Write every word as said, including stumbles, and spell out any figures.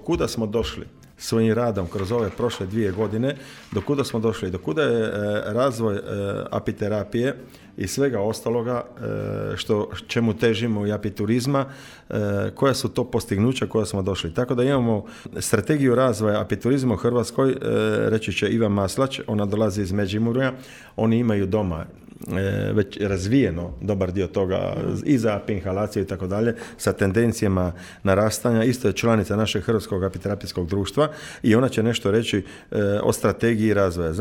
kuda smo došli svojim radom kroz ove prošle dvije godine, do kuda smo došli, do kuda je e, razvoj e, apiterapije i svega ostaloga e, što, čemu težimo i apiturizma, e, koja su to postignuća koja smo došli. Tako da imamo strategiju razvoja apiturizma u Hrvatskoj, e, reći će Ivan Maslać, ona dolazi iz Međimurja, oni imaju doma e, već razvijeno dobar dio toga i za inhalaciju i tako dalje, sa tendencijama narastanja. Isto je članica našeg Hrvatskog apiterapijskog društva i ona će nešto reći e, o strategiji razvoja.